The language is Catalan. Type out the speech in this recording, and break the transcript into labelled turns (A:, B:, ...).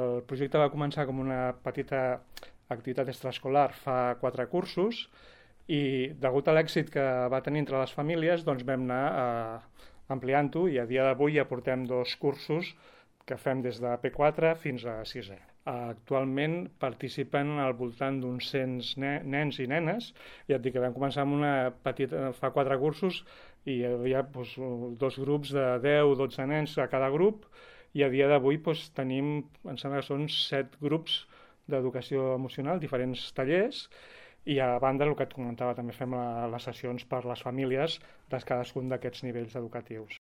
A: El projecte va començar com una petita activitat extraescolar fa 4 cursos i degut a l'èxit que va tenir entre les famílies doncs vam anar ampliant-ho i a dia d'avui ja portem 2 cursos que fem des de P4 fins a 6è. Actualment participen al voltant d'uns 100 nens i nenes. Ja et dic que vam començar amb una petita, fa 4 cursos i hi havia 2 grups de 10-12 nens a cada grup i a dia d'avui tenim, em sembla que són 7 grups d'educació emocional, diferents tallers, i a banda, el que et comentava, també fem les sessions per les famílies de cadascun d'aquests nivells educatius.